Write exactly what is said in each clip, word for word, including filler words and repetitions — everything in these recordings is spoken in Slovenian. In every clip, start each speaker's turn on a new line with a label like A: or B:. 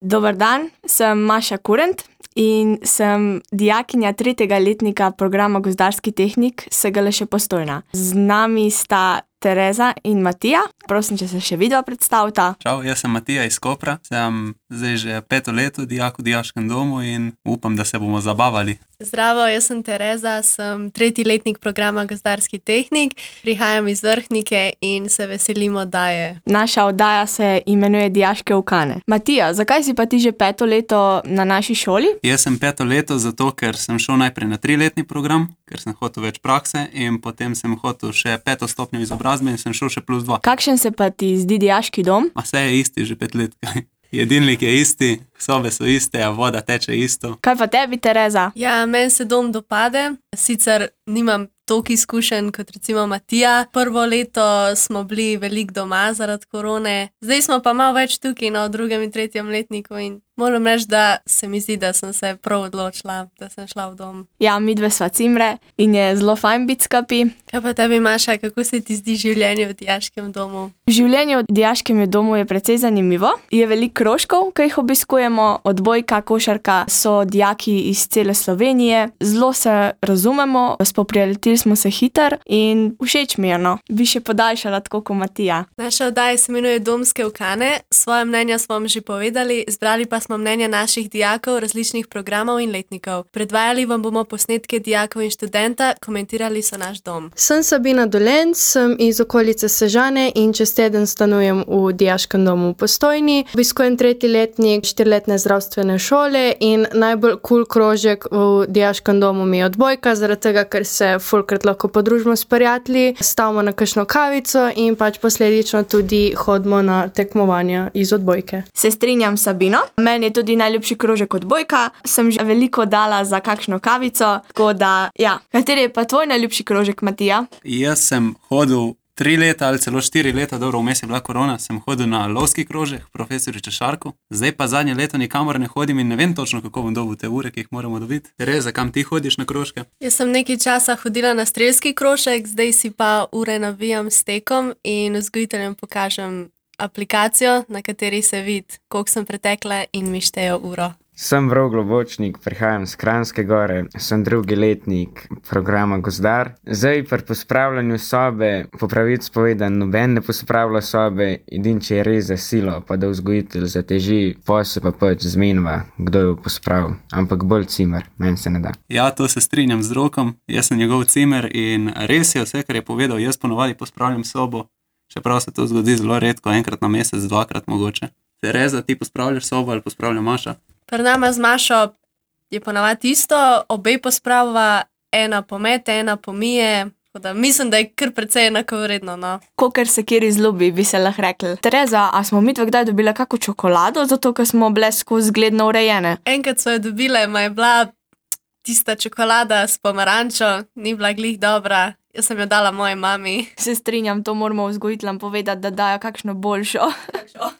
A: Dober dan, sem Maša Kurent in sem dijakinja tretjega letnika programa Gozdarski tehnik S G L š Postojna. Z nami sta Tereza in Matija. Prosim, če se še vidva predstavita.
B: Čau, jaz sem Matija iz Kopra. Sem zdaj že peto leto dijak v dijaškem domu in upam, da se bomo zabavali.
C: Zdravo, jaz sem Tereza, sem tretji letnik programa Gozdarski tehnik. Prihajam iz Vrhnike in se veselim oddaje.
A: Naša oddaja se imenuje Dijaške ukane. Matija, zakaj si pa ti že peto leto na naši šoli?
B: Jaz sem peto leto zato, ker sem šel najprej na triletni program, ker sem hotel več prakse in potem sem hotel še peto stopnjo izobrazbe in sem šel še plus dva.
A: Kakšen se pa ti zdi dijaški dom?
B: A vse je isti že pet let. Jedilnik je isti, sobe so iste, a voda teče isto.
A: Kaj pa tebi, Tereza?
C: Ja, meni se dom dopade. Sicer nimam toliko izkušenj kot recimo Matija. Prvo leto smo bili veliko doma zaradi korone. Zdaj smo pa malo več tukaj na drugem in tretjem letniku in moram reči, da se mi zdi, da sem se prav odločila, da sem šla v dom.
A: Ja, midve sva cimre in je zelo fajn biti skupaj.
C: Kaj pa tebi, Maša, kako se ti zdi življenje v dijaškem domu?
A: Življenje v dijaškem domu je precej zanimivo. Je veliko krožkov, ki jih obiskujemo, odbojka, košarka, so dijaki iz cele Slovenije. Zelo se razumemo, spoprijateljili smo se hitro in všeč mi je, no. Bi še podaljšala tako kot Matija.
C: Naša oddaja se imenuje Domske ukane. Svoje mnenja smo vam že povedali, zbrali pa smo mnenja naših dijakov, različnih programov in letnikov. Predvajali vam bomo posnetke dijakov in študenta, komentirali so naš dom.
D: Sem Sabina Dolenc, sem iz okolice Sežane in čez teden stanujem v dijaškem domu v Postojni. Obiskujem tretji letnik štiriletne zdravstvene šole in najbolj kul krožek v dijaškem domu mi je odbojka, zaradi tega, ker se fulkrat lahko podružimo s prijatelji, stavimo na kakšno kavico in pač posledično tudi hodimo na tekmovanja iz odbojke.
A: Se strinjam s Sabino. Meni je tudi najljubši krožek odbojka. Sem že veliko dala za kakšno kavico, tako da, ja. Kateri je pa tvoj najljubši krožek, Matija?
B: Jaz sem hodil tri leta ali celo štiri leta, dobro, vmes je bila korona, sem hodil na lovski krožek, profesoriča Šarku. Zdaj pa zadnje leto nikamor ne hodim in ne vem točno, kako bom dobil te ure, ki jih moramo dobiti. Tereza, kam ti hodiš na krožke?
C: Jaz sem nekaj časa hodila na strelski krožek, zdaj si pa ure navijam s tekom in vzgojiteljem pokažem aplikacijo, na kateri se vidi, koliko sem pretekla in mi štejo uro.
E: Sem Vrov Globočnik, prihajam z Kranjske Gore, sem drugi letnik programa Gozdar. Zdaj pri pospravljanju sobe, po pravici povedan, noben ne pospravlja sobe, edin če je res za silo, pa da vzgojitelj zateži, posel pa pač zmenva, kdo jo pospravil. Ampak bolj cimer, meni se ne da.
B: Ja, to se strinjam z Rokom, jaz sem njegov cimer in res je vse, kar je povedal, jaz ponovadi pospravljam sobo, čeprav se to zgodi zelo redko, enkrat na mesec, dvakrat mogoče. Tereza, ti pospravljaš sobo ali pospravlja Maša?
C: Pri nama z Mašo je ponavadi isto, obe pospravlja, ena pomete, ena pomije, tako da mislim, da je kar precej enakovredno, no.
A: Kakor se kjeri zljubi, bi se lahko rekli. Tereza, a smo midve kdaj dobile kako čokolado, zato ker smo bile skozi zgledno urejene?
C: Enkrat so jo dobile, ma je bila tista čokolada s pomarančo, ni bila glih dobra. Jaz sem jo dala moji mami.
A: Se strinjam, to moramo vzgojiteljem povedati, da dajo kakšno boljšo.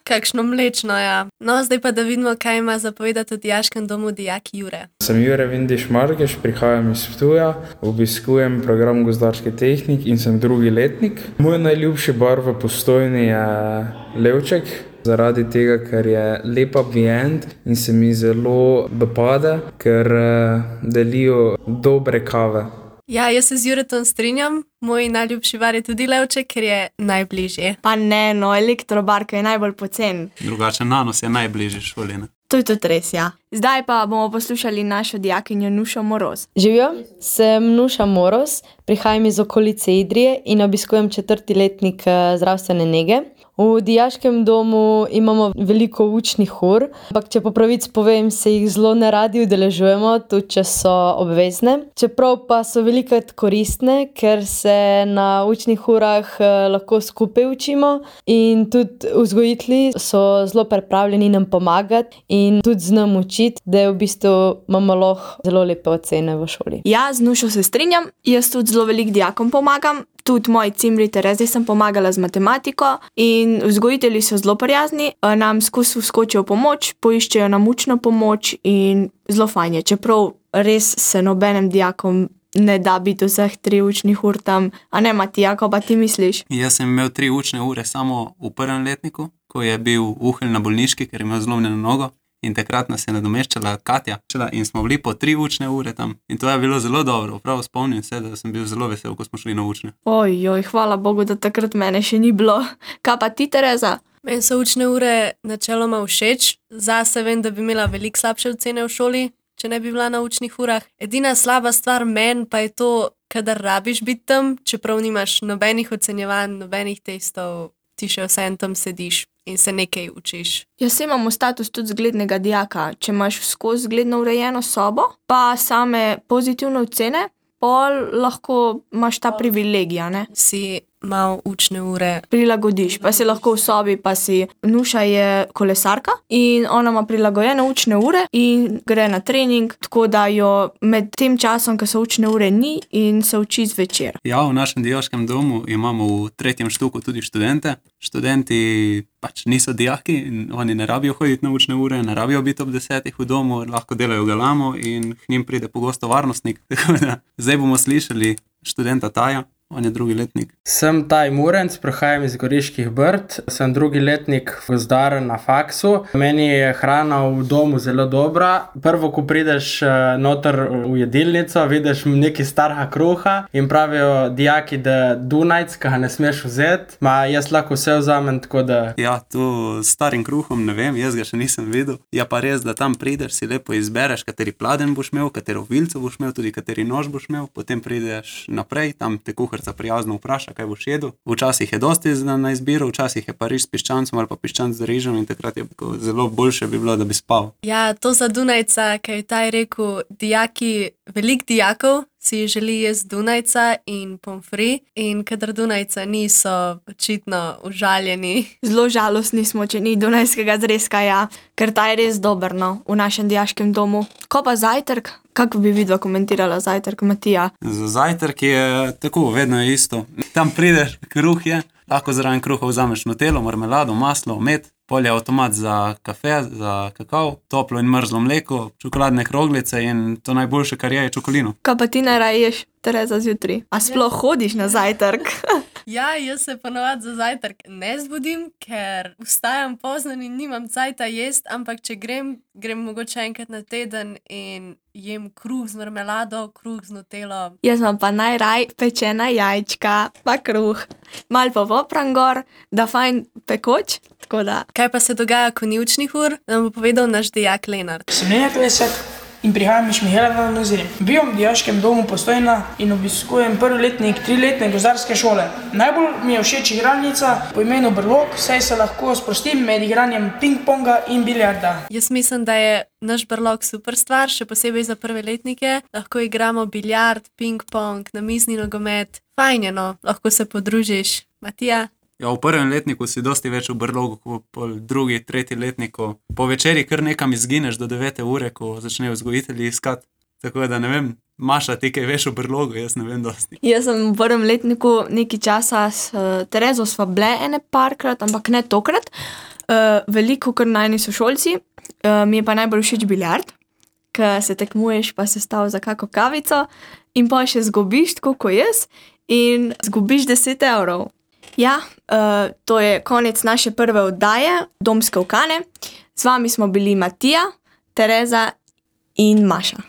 C: Kakšno mlečno, ja. No, zdaj pa da vidimo, kaj ima zapovedati v dijaškem domu dijak Jure.
F: Sem Jure Vindiš Markeš, prihajam iz Ptuja, obiskujem program Gozdarski tehnik in sem drugi letnik. Moj najljubši bar v Postojni je Levček, zaradi tega, ker je lep ambient in se mi zelo dopade, ker delijo dobre kave.
C: Ja, jaz se z Juretom strinjam. Moj najljubši bar je tudi Levček, ker je najbližje.
A: Pa ne, no, Elektrobar, ki je najbolj pocen.
B: Drugače, Nanos je najbližje šoli, ne?
A: To je tudi res, ja. Zdaj pa bomo poslušali našo dijakinjo Nušo Moroz.
G: Živijo, sem Nuša Moroz, prihajam iz okolice Idrije in obiskujem četrti letnik zdravstvene nege. V dijaškem domu imamo veliko učnih ur, ampak če po pravici povem, se jih zelo neradi udeležujemo, tudi če so obvezne. Čeprav pa so velikokrat koristne, ker se na učnih urah lahko skupaj učimo in tudi vzgojitelji so zelo pripravljeni nam pomagati in tudi z nam učiti, da je v bistvu imamo lahko zelo lepe ocene v šoli.
A: Ja, z Nušo se strinjam, jaz tudi zelo veliko dijakom pomagam. Tudi moji cimri Terezi sem pomagala z matematiko in vzgojitelji so zelo prijazni, nam skozi vskočijo pomoč, poiščejo nam učno pomoč in zelo fajn je, čeprav res se nobenem dijakom ne da biti vseh tri učnih ur tam. A ne, Matija, kako pa ti misliš?
B: Jaz sem imel tri učne ure samo v prvem letniku, ko je bil Uhelj na bolniški, ker je imel zlomljeno nogo. in takrat nas je nadomeščala Katja in smo bili po tri učne ure tam in to je bilo zelo dobro. Prav spomnim se, da sem bil zelo vesel, ko smo šli na učne.
A: Ojoj, hvala Bogu, da takrat mene še ni bilo. Kaj pa ti, Tereza?
C: Meni so učne ure načeloma všeč. Zase vem, da bi imela veliko slabše ocene v šoli, če ne bi bila na učnih urah. Edina slaba stvar meni pa je to, kadar rabiš biti tam, čeprav nimaš nobenih ocenjevanj, nobenih testov, ti še vsem tam sediš in se nekaj učiš.
A: Jaz imamo status tudi zglednega dijaka. Če imaš skozi zgledno urejeno sobo, pa same pozitivne ocene, pol lahko imaš ta privilegij, ne?
C: Si malo učne ure.
A: Prilagodiš, pa si lahko v sobi, pa si Nuša je kolesarka in ona ima prilagojene učne ure in gre na trening, tako da jo med tem časom, ko so učne ure, ni in se uči zvečer.
B: Ja, v našem dijaškem domu imamo v tretjem štuku tudi študente. Študenti pač niso dijaki in oni ne rabijo hoditi na učne ure, ne rabijo biti ob desetih v domu, lahko delajo galamo in k njim pride pogosto varnostnik. Tako da zdaj bomo slišali študenta Taja. On je drugi letnik.
H: Sem Taj Murenc, prihajam iz Goriških Brd, sem drugi letnik gozdar na faksu. Meni je hrana v domu zelo dobra. Prvo, ko prideš noter v jedilnico, vidiš nekaj starega kruha in pravijo dijaki, da Dunajc, ki ga ne smeš vzeti, ma jaz lahko vse vzamem, tako da...
B: Ja, to s starim kruhom ne vem, jaz ga še nisem videl. Ja pa res, da tam prideš, si lepo izbereš, kateri pladenj boš imel, katero vilco boš imel, tudi kateri nož boš imel, potem prideš naprej, tam te kuhar prijazno vpraša, kaj boš jedel. Včasih je dosti na izbiro, včasih je pa riž s piščancem ali pa piščanc z rižem in takrat je zelo boljše bi bilo, da bi spal.
C: Ja, to za Dunajca, kaj je Taj rekel, dijaki, veliko dijakov si želi jesti Dunajca in pomfri in kadar Dunajca niso očitno užaljeni.
A: Zelo žalostni smo, če ni dunajskega zrezka, ja, ker ta je res dober, no, v našem dijaškem domu. Ko pa zajtrk? Kako bi vidva komentirala zajtrk, Matija?
B: Za zajtrk je tako, vedno je isto. Tam prideš, kruh je, lahko zraven kruha vzameš nutelo, marmelado, maslo, med, pol je avtomat za kafe, za kakav, toplo in mrzlo mleko, čokoladne kroglice in to najboljše, kar je, je čokolino.
A: Kaj pa ti najraje ješ, Tereza, zjutraj? A sploh hodiš na zajtrk?
C: Ja, jaz se ponovadi za zajtrk ne zbudim, ker vstajam pozno in nimam cajta jest, ampak če grem, grem mogoče enkrat na teden in jem kruh z marmelado, kruh z nutelo.
A: Jaz imam pa najraj pečena jajčka, pa kruh. Mal pa popram gor, da fajn pekoč, tako da.
C: Kaj pa se dogaja, ko ni učnih ur, nam bo povedal naš dijak Lenart.
I: Sem Lenart Lesjak in prihajam iz Mihaelovega na Zrim. Bivam v dijaškem domu Postojna in obiskujem prvi letnik triletne gozdarske šole. Najbolj mi je všeč igralnica po imenu Brlog, saj se lahko sprostim med igranjem ping-ponga in biljarda.
C: Jaz mislim, da je naš Brlog super stvar, še posebej za prve letnike. Lahko igramo biljard, ping-pong, namizni nogomet. Fajn je, no, lahko se podružiš. Matija?
B: Ja, v prvem letniku si dosti več v Brlogu, kot po drugi, tretji letniku. Po večeri kar nekam izgineš do devete ure, ko začnejo vzgojitelji iskati. Tako da ne vem, Maša, ti kaj veš o Brlogu, jaz ne vem dosti.
A: Jaz sem v prvem letniku nekaj časa s uh, Terezo sva bile ene parkrat, ampak ne tokrat. Uh, veliko kar najni sošolci. Uh, mi je pa najbolj všeč biljard, ker se tekmuješ, pa se stav za kako kavico in pa še zgubiš, tako kot jaz, in zgubiš deset evrov. Ja, uh, to je konec naše prve oddaje Domske ukane. Z vami smo bili Matija, Tereza in Maša.